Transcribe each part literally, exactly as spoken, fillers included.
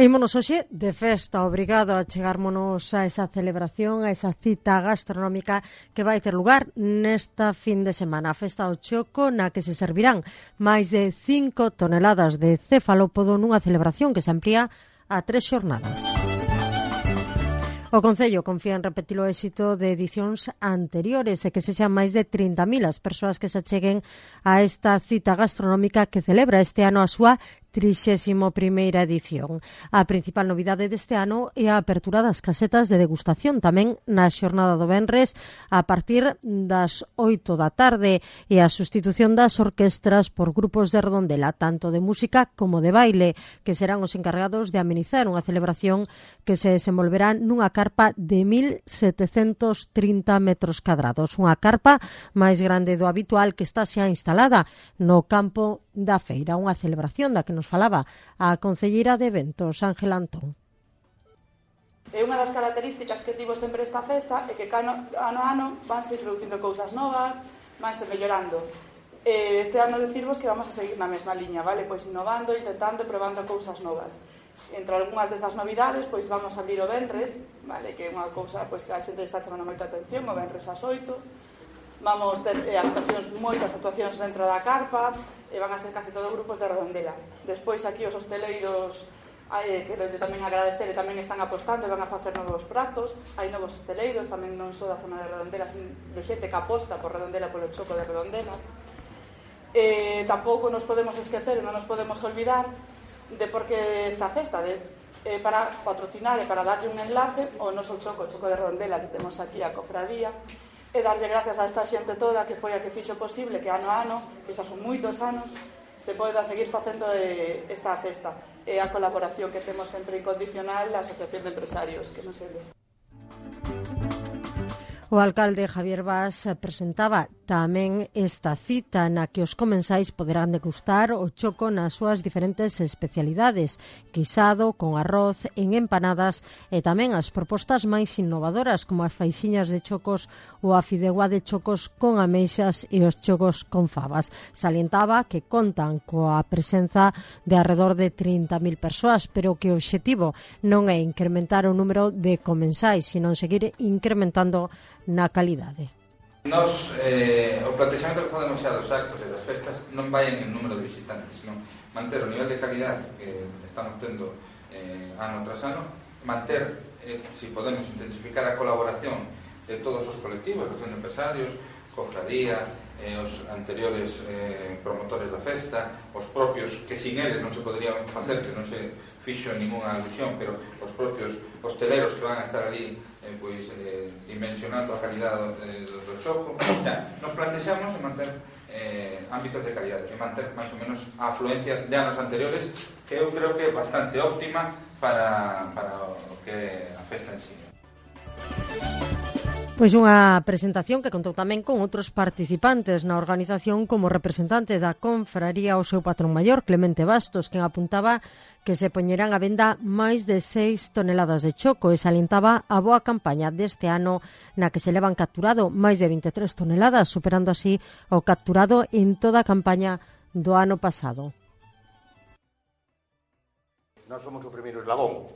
Ímonos hoxe de festa, obrigado a chegármonos a esa celebración, a esa cita gastronómica que vai ter lugar nesta fin de semana. A festa ao Choco, na que se servirán máis de cinco toneladas de cefalópodo nunha celebración que se amplía a tres xornadas. O Concello confía en repetir o éxito de edicións anteriores e que se sean máis de trinta mil as persoas que se acheguen a esta cita gastronómica que celebra este ano a súa trixésima primeira edición. A principal novidade deste ano é a apertura das casetas de degustación tamén na xornada do venres a partir das oito da tarde e a sustitución das orquestras por grupos de redondela, tanto de música como de baile, que serán os encargados de amenizar unha celebración que se desenvolverá nunha carpa de mil setecentos trinta metros cadrados, unha carpa máis grande do habitual que está xa instalada no campo da feira, unha celebración da que nos falaba a concelleira de eventos, Ángela Antón. E unha das características que tivo sempre esta festa é que ano a ano vanse introducindo cousas novas, vanse mellorando. Este ano decirvos que vamos a seguir na mesma liña, vale? Pois innovando, intentando, probando cousas novas. Entre algunhas desas novidades, pois vamos a abrir o venres, vale? Que é unha cousa pois que a xente está chamando moita atención, o venres ás oito. Vamos ter eh, actuacións, moitas actuacións dentro da carpa, e van a ser case todos grupos de redondela. Despois aquí os hosteleiros, eh, que tamén agradecer, e tamén están apostando e van a facer novos pratos. Hai novos hosteleiros, tamén non só da zona de redondela, de xente que aposta por redondela, polo Choco de redondela. Eh, tampouco nos podemos esquecer e non nos podemos olvidar de por que esta festa, de, eh, para patrocinar e para darlle un enlace ao noso Choco, o Choco de redondela que temos aquí a cofradía, e darlle gracias a esta xente toda que foi a que fixo posible que ano a ano, que xa son moitos anos, se poida seguir facendo esta festa. E a colaboración que temos sempre incondicional da Asociación de Empresarios, que non se ve. O alcalde Javier Bas presentaba tamén esta cita na que os comensais poderán degustar o choco nas súas diferentes especialidades, guisado, con arroz, en empanadas e tamén as propostas máis innovadoras como as faixiñas de chocos ou a fideuá de chocos con ameixas e os chocos con fabas. Salientaba que contan coa presenza de alrededor de trinta mil persoas, pero que o obxectivo non é incrementar o número de comensais, sino seguir incrementando na calidade. Nos, eh, o plantexamento que podemos xa dos actos e das festas non vai en el número de visitantes, sino manter o nivel de calidad que estamos tendo eh, ano tras ano, manter, eh, si podemos, intensificar a colaboración de todos os colectivos, os empresarios, cofradía, eh, os anteriores eh, promotores da festa, os propios, que sin eles non se podría facer, que non se fixo ninguna alusión, pero os propios hosteleros que van a estar ali eh, pois, eh, dimensionando a calidad do, do, do choco. Ya, nos plantexamos en manter eh, ámbitos de calidad e manter máis ou menos a afluencia de anos anteriores, que eu creo que é bastante óptima para, para o que a festa en sí. Pois unha presentación que contou tamén con outros participantes na organización, como representante da confraría o seu patrón maior, Clemente Bastos, quen apuntaba que se poñerán a venda máis de seis toneladas de choco e salientaba a boa campaña deste ano na que se levan capturado máis de vinte e tres toneladas, superando así o capturado en toda a campaña do ano pasado. Nós somos o primeiro eslabón,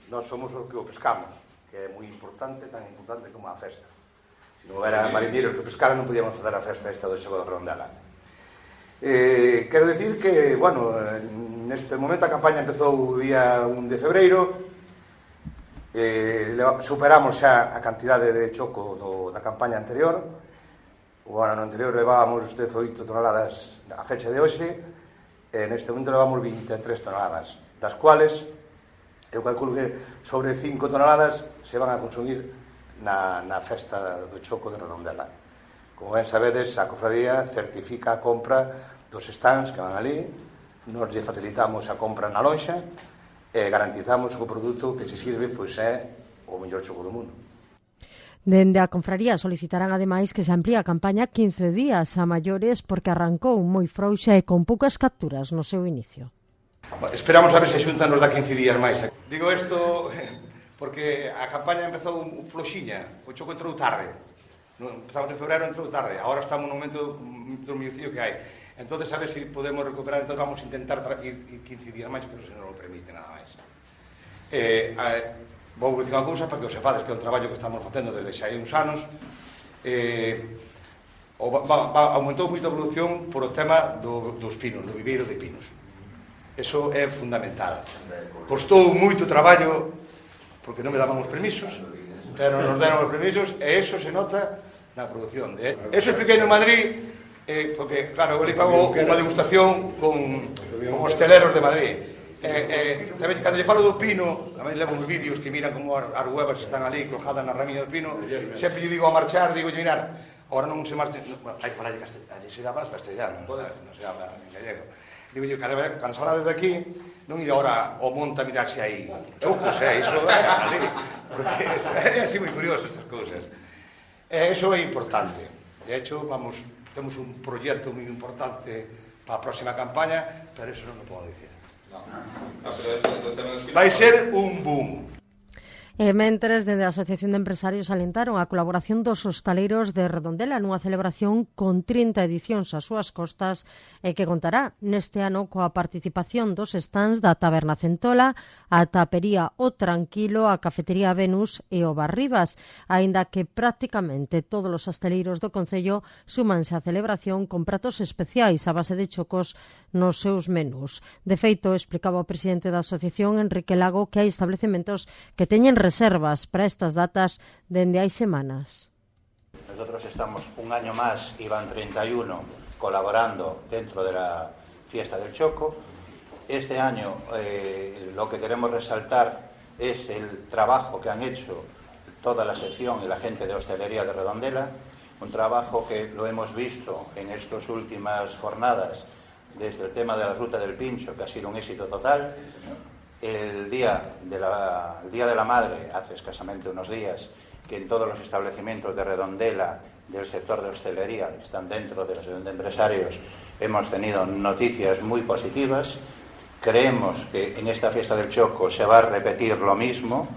nós somos os que o pescamos, que é moi importante, tan importante como a festa. Se non houbera mariñeiros que pescaran, non podíamos facer a festa esta do Choco de Redondela. Eh, quero dicir que, bueno, neste momento a campaña empezou o día un de febreiro, eh, superamos xa a cantidade de choco do, da campaña anterior. O ano anterior levábamos dezoito toneladas a fecha de hoxe, e neste momento levamos vinte e tres toneladas, das cuales eu calculo que sobre cinco toneladas se van a consumir na, na festa do Choco de Redondela. Como ben sabedes, a cofradía certifica a compra dos stands que van ali, nos lle facilitamos a compra na lonxa e garantizamos que o produto que se sirve pois é o mellor choco do mundo. Dende a confraría solicitarán ademais que se amplíe a campaña quince días a maiores porque arrancou moi frouxa e con poucas capturas no seu inicio. Esperamos a ver se xuntan nos da quince días máis. Digo isto porque a campaña empezou floxiña, o choco entrou tarde. Empezamos en febreiro, entrou tarde. Agora estamos no momento do mellorcillo que hai. Entón, a ver se podemos recuperar. Entón, vamos a intentar ir quince días máis, pero se non o permite nada máis. Eh, eh, vou dicir unha cousa para que os sepades, que é un traballo que estamos facendo desde xa hai uns anos. Eh, o, va, va, aumentou moito a evolución por o tema do, dos pinos, do viveiro de pinos. Eso é fundamental. Costou moito traballo porque non me daban os permisos, pero nos deron os permisos, e eso se nota na produción. Eh? Eso expliquei no Madrid. Eh, porque, claro, eu li fago unha degustación con, con hosteleros de Madrid. Eh, eh, tamén, cando lle falo do pino, tamén levo uns vídeos que miran como as, as huevas están ali colocadas na ramiña do pino. Sempre lle digo a marchar, digo, mirar, agora non se marcha, no, hai para allí castellano, allí se llama castellano, non, non se llama en gallego. Digo, yo, cada vez, cando salades de aquí, non ir agora ao monte a mirar se hai chocos, eh, iso é ali, porque é así moi curioso estas cousas. Eh, eso é importante. De hecho, vamos... Temos un proxecto moi importante para a próxima campaña, pero eso non o podo dicir. No. No, pero eso, eso vai ser un boom. E mentres, dende a Asociación de Empresarios alentaron a colaboración dos hostaleiros de Redondela nunha celebración con trinta edicións ás súas costas e que contará neste ano coa participación dos stands da Taberna Centola, a Tapería O Tranquilo, a Cafetería Venus e o Bar Rivas, aínda que prácticamente todos os hostaleiros do Concello súmanse á celebración con pratos especiais a base de chocos nos seus menús. De feito, explicaba o presidente da asociación, Enrique Lago, que hai establecementos que teñen reservas para estas datas dende hai semanas. Nosotros estamos un año más, iban treinta y uno, colaborando dentro de la fiesta del Choco. Este año eh, lo que queremos resaltar es el trabajo que han hecho toda la sección y la gente de hostelería de Redondela, un trabajo que lo hemos visto en estas últimas jornadas desde el tema de la ruta del pincho, que ha sido un éxito total. El día de la, el día de la Madre, hace escasamente unos días, que en todos los establecimientos de Redondela, del sector de hostelería, que están dentro de la asociación de empresarios, hemos tenido noticias muy positivas. Creemos que en esta fiesta del Choco se va a repetir lo mismo.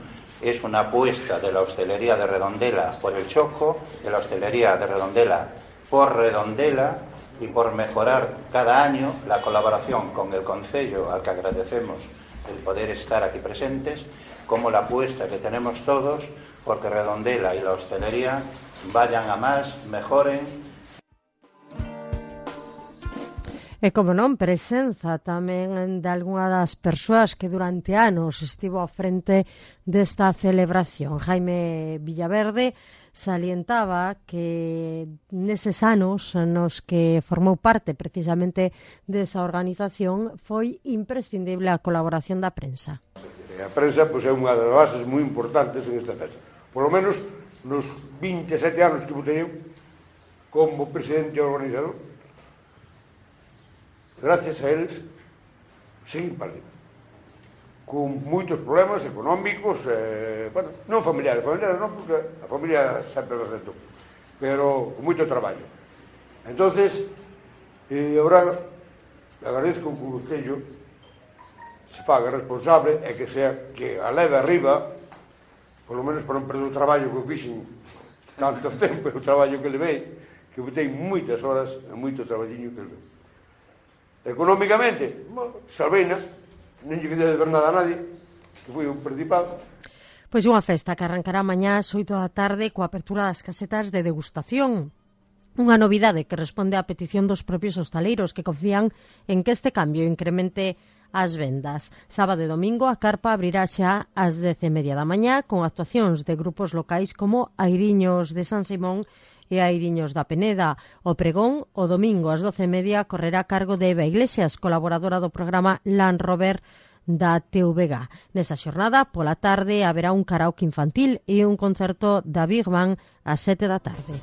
Es una apuesta de la hostelería de Redondela por el Choco, de la hostelería de Redondela por Redondela, y por mejorar cada año la colaboración con el Concello, al que agradecemos el poder estar aquí presentes, como la apuesta que tenemos todos porque Redondela y la hostelería vayan a más, mejoren. E como non, presenza tamén de algunha das persoas que durante anos estivo ao frente desta celebración. Jaime Villaverde salientaba que neses anos nos que formou parte precisamente desa organización foi imprescindible a colaboración da prensa. A prensa pois, é unha das bases moi importantes en esta festa. Por lo menos nos vinte e sete anos que botei eu como presidente e organizador, gracias a eles seguín para arriba, con moitos problemas económicos, eh, bueno, non familiares, familiares non, porque a familia sempre lo aceptou, pero con moito traballo. Entonces, eh, agora agradezco que o Concello se faga responsable e que sea que a leve arriba, por lo menos para non perder o traballo que eu fixen tanto tempo, o traballo que levei, que botei moitas horas e moito traballiño que levei. Económicamente, salveina, non lle quedei de ver nada a nadie, que foi o principal. Pois unha festa que arrancará mañá ás oito da tarde coa apertura das casetas de degustación. Unha novidade que responde á petición dos propios hostaleiros que confían en que este cambio incremente as vendas. Sábado e domingo a carpa abrirá xa ás dez e media da mañá con actuacións de grupos locais como Airiños de San Simón e Airiños da Peneda. O pregón, o domingo ás doce e media, correrá a cargo de Eva Iglesias, colaboradora do programa Land Rover da T V G. Nesa xornada, pola tarde, haberá un karaoke infantil e un concerto da Big Bang ás sete da tarde.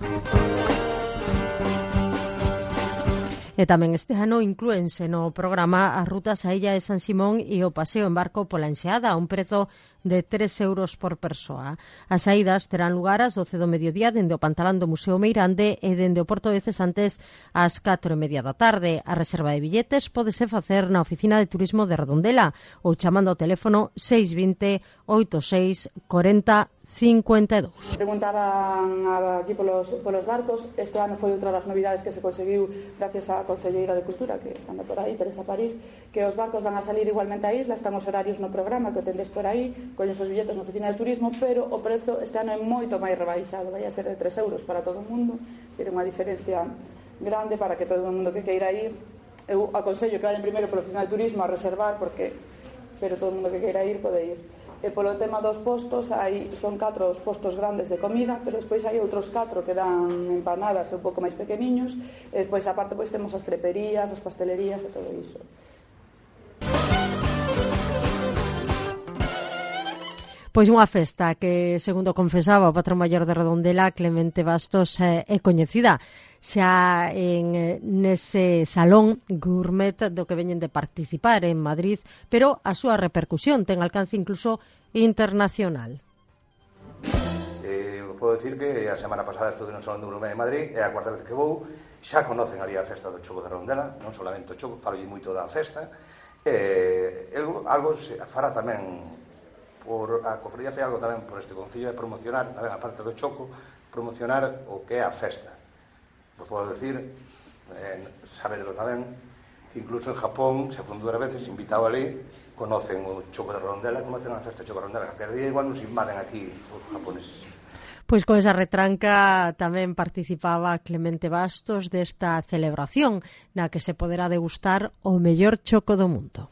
E tamén este ano inclúense no programa as rutas a Illa de San Simón e o paseo en barco pola Enseada a un prezo de tres euros por persoa. As saídas terán lugar ás doce do mediodía dende o Pantalán do Museo Meirande e dende o Porto de Cesantes ás catro e media da tarde. A reserva de billetes pódese facer na Oficina de Turismo de Redondela ou chamando ao teléfono seis vinte, oitenta e seis, cuarenta cincuenta e dous. Preguntaban aquí polos, polos barcos. Este ano foi outra das novidades que se conseguiu gracias á Concelleira de Cultura, que anda por aí, Teresa París, que os barcos van a salir igualmente á isla. Están os horarios no programa que o tendes por aí, colles os billetes na oficina de turismo, pero o prezo este ano é moito máis rebaixado, vai a ser de tres euros para todo o mundo. Tiene unha diferencia grande para que todo o mundo que queira ir. Eu aconsello que vayan primeiro pola oficina de turismo a reservar, porque pero todo o mundo que queira ir pode ir. E polo tema dos postos, hai, son catro os postos grandes de comida, pero despois hai outros catro que dan empanadas e un pouco máis pequeniños, e despois aparte pois temos as preperías, as pastelerías e todo iso. Pois unha festa que, segundo confesaba o patrón maior de Redondela, Clemente Bastos, é, é coñecida xa en nese salón gourmet do que veñen de participar en Madrid, pero a súa repercusión ten alcance incluso internacional. Eh, podo dicir que a semana pasada estuve no Salón do Gourmet de Madrid, é a cuarta vez que vou, xa conocen ali a festa do choco de Redondela, non solamente o choco, falo moito da festa, eh, algo, algo se fará tamén por a cofradía fai algo tamén por este concello de promocionar tamén a parte do choco, promocionar o que é a festa. Vos podo decir, eh, sabedelo tamén, que incluso en Japón, se fundou dúas veces, invitado ali, conocen o choco de Redondela, conocen a festa de choco de Redondela, que día igual nos invaden aquí os japoneses. Pois con esa retranca tamén participaba Clemente Bastos desta celebración na que se poderá degustar o mellor choco do mundo.